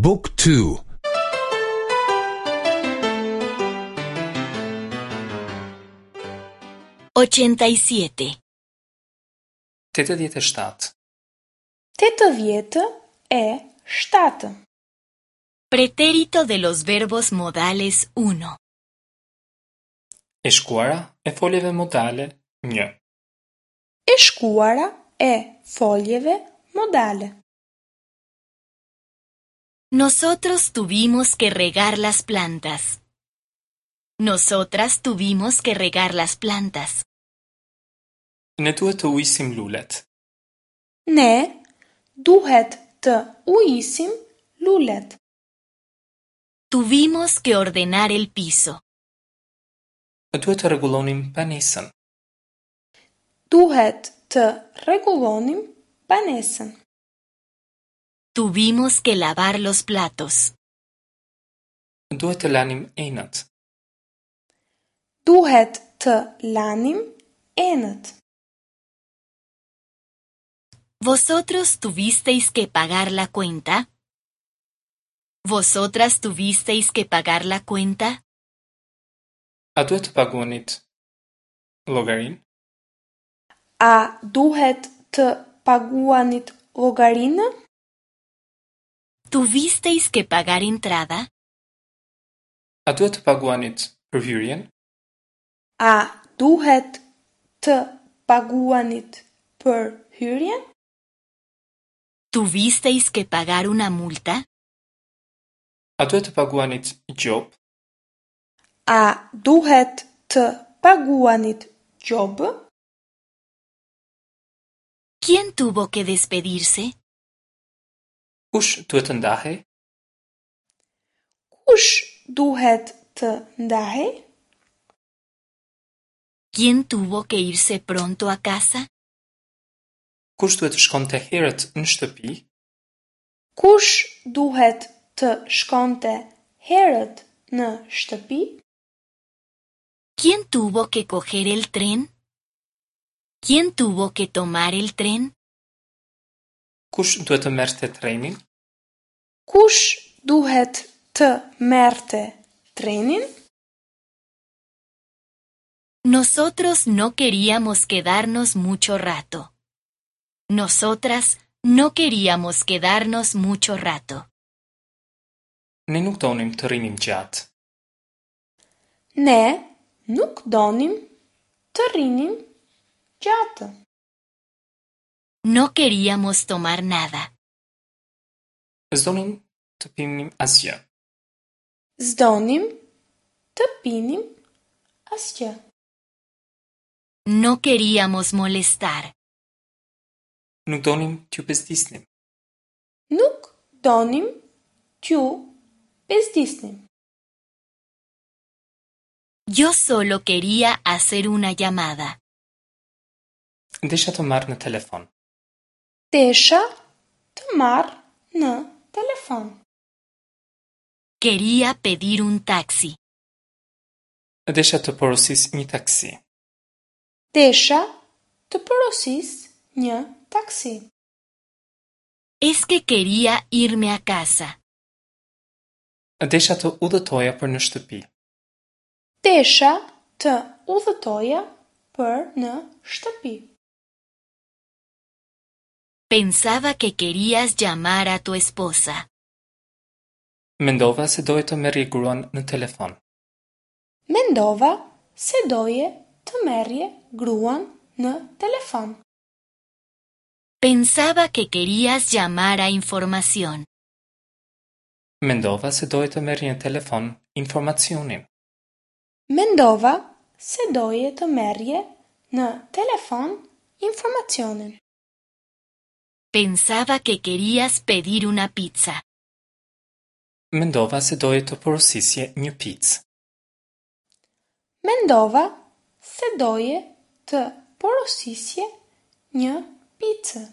บุ๊กทู 87. 87. 87. Pretérito de los verbos modales 1. E shkuara e foljeve modale 1. E shkuara e foljeve modale. Nosotros tuvimos que regar las plantas. Nosotras tuvimos que regar las plantas. Ne duhet të ujisim lulet. Ne duhet të ujisim lulet. Tuvimos que ordenar el piso. Duhet të rregullonim banesën. Duhet të rregullonim banesën. Tuvimos que lavar los platos. Duhet të lanim enët. Duhet të lanim enët. ¿Vosotros tuvisteis que pagar la cuenta? ¿Vosotras tuvisteis que pagar la cuenta? A duhet të paguanit llogarinë? A duhet të paguanit llogarinë? ¿Tuvisteis que pagar entrada? A duhet të paguanit për hyrjen? A duhet të paguanit për hyrjen? ¿Tuvisteis que pagar una multa? A duhet të paguanit gjobë? A duhet të paguanit gjobë? ¿Quién tuvo que despedirse? Kush duhet të ndahej? Kush duhet të ndahej? ¿Quién tuvo que irse pronto a casa? Kush duhet të shkonte herët në shtëpi? Kush duhet të shkonte herët në shtëpi? ¿Quién tuvo que coger el tren? ¿Quién tuvo que tomar el tren? Kush duhet të merrte trenin? Kush duhet të merrte trenin? Nosotros no queríamos quedarnos mucho rato. Nosotras no queríamos quedarnos mucho rato. Ne nuk donim të rrinim gjatë. Ne nuk donim të rrinim gjatë. No queríamos tomar nada. S'donim të pinim asgjë. S'donim të pinim asgjë. No queríamos molestar. Nuk donim t'ju bezdisnim. Nuk donim t'ju bezdisnim. Yo solo quería hacer una llamada. Desha të marr në telefon. Desha të marr në telefon. Quería pedir un taxi. Desha të porosis një taksi. Desha të porosis një taksi. Es que quería irme a casa. Desha të udhëtoja për në shtëpi. Desha të udhëtoja për në shtëpi. Pensaba que querías llamar a tu esposa. Mendova se doje të merrje gruan në telefon. Mendova se doje të merrje gruan në telefon. Pensaba que querías llamar a información. Mendova se doje të merrje në telefon informacionin. Mendova se doje të merrje në telefon informacionin. Pensaba que querías pedir una pizza. Mendova se doje të porosisje një picë. Mendova se doje të porosisje një picë.